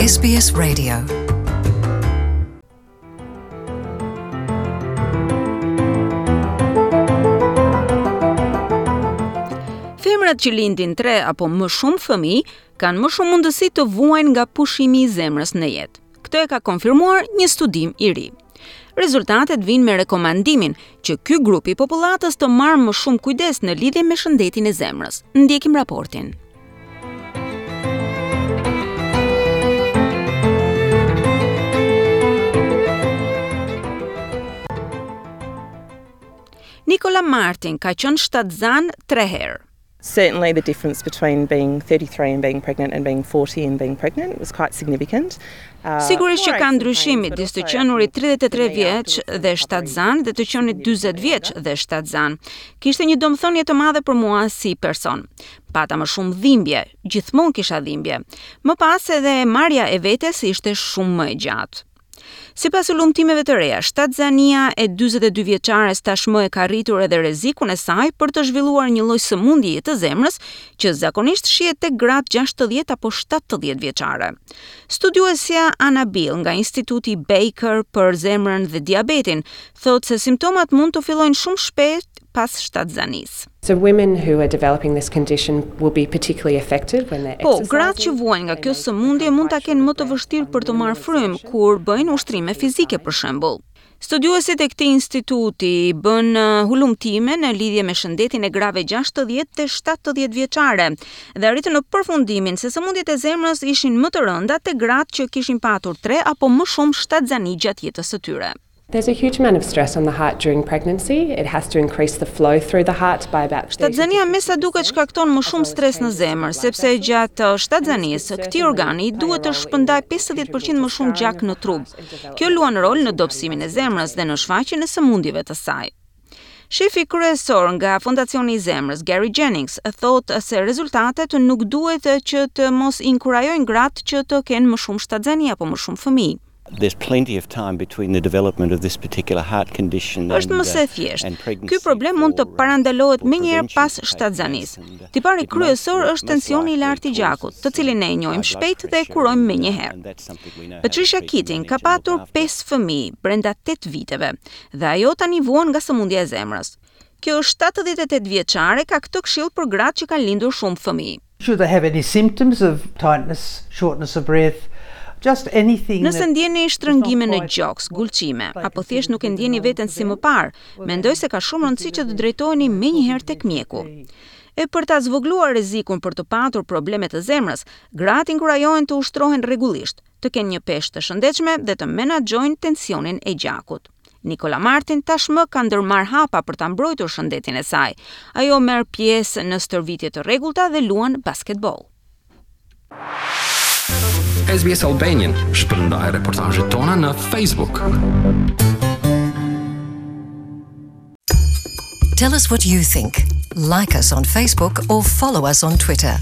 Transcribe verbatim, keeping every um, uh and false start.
S B S Radio. Femrat që lindin tre apo më shumë fëmijë kanë më shumë mundësi të vuajnë nga pushimi i zemrës në jetë. Këtë e ka konfirmuar një studim i ri. Rezultatet vijnë me rekomandimin që ky grup i popullatës të marrë më shumë kujdes në lidhje me shëndetin e zemrës. Ndjekim raportin. Nicola Martin ka qenë shtatzan tre herë. Certainly the difference between being thirty-three and being pregnant and being forty and being pregnant was quite significant. Uh, Sigurisht që ka ndryshim midis të qenurit tridhjetë e tre vjeç dhe shtatzan dhe të qenit dyzet vjeç dhe shtatzan. Kishte një domethënie të madhe për mua si person. Pata më shumë dhimbje, gjithmonë kisha dhimbje. Më pas edhe marrja e vetes ishte shumë më e gjatë. Sipas hulumtimeve të reja, shtatzania e dyzet e dy vjeçares tashmë e ka rritur edhe rrezikun e saj për të zhvilluar një lloj sëmundjeje të zemrës që zakonisht shihet tek gratë gjashtëdhjetë apo shtatëdhjetë vjeçare. Studiuesja Anna Bill nga Instituti Baker për zemrën dhe diabetin thotë se simptomat mund të fillojnë shumë shpejt pas shtatzanisë. So women who are developing this condition will be particularly affected when they're Po, gratë që vuajnë nga kjo sëmundje mund ta kenë më të vështirë për të marrë frymë kur bëjnë ushtrime fizike, për shembull. Studiuesit e këtij instituti bën uh, hulumtime në lidhje me shëndetin e grave gjashtëdhjetë dhe shtatëdhjetë vjeçare dhe arritën në përfundimin se sëmundjet e zemrës ishin më të rënda te gratë që kishin patur tre apo më shumë shtatzani gjatë jetës së tyre. There's a huge amount of stress on the heart during pregnancy. It has to increase the flow through the heart by about Shtatzania me sa duket shkakton më shumë stres në zemër, sepse gjatë shtatzanisë këtij organi duhet të shpërndaj pesëdhjetë për qind më shumë gjak në trup. Kjo luan rol në dobësimin e zemrës dhe në shfaqjen e sëmundjeve të saj. Shefi kryesor nga Fondacioni i Zemrës, Gary Jennings, thotë se rezultatet nuk duhet që të mos inkurajojnë gratë që të kenë më shumë shtatzani apo më shumë fëmijë. There's plenty of time between the development of this particular heart condition Është më se thjesht. Ky problem mund të parandalohet menjëherë pas shtatzanisë. Tipari kryesor është tensioni i lartë i gjakut, të cilin ne e njohim shpejt dhe e kurojmë menjëherë. Patricia Keating ka patur pesë fëmijë brenda tetë viteve dhe ajo tani vuan nga sëmundja e zemrës. Kjo shtatëdhjetë e tetë vjeçare ka këtë këshill për gratë që kanë lindur shumë fëmijë. Should they have any symptoms of tightness, shortness of breath, just anything. Nëse ndjeni shtrëngime në gjoks, gulçime, apo thjesht nuk e ndjeni veten si më parë, mendoj se ka shumë rëndësi që të drejtoheni menjëherë tek mjeku. E për ta zvogëluar rrezikun për të patur probleme të zemrës, gratë inkurajohen të ushtrohen rregullisht, të kenë një peshë të shëndetshme dhe të menaxhojnë tensionin e gjakut. Nicola Martin tashmë ka ndërmarrë hapa për ta mbrojtur shëndetin e saj. Ajo merr pjesë në stërvitje të rregullta dhe luan basketboll. S B S Albanian shpërndaj reportazhet tona në Facebook. Tell us what you think. Like us on Facebook or follow us on Twitter.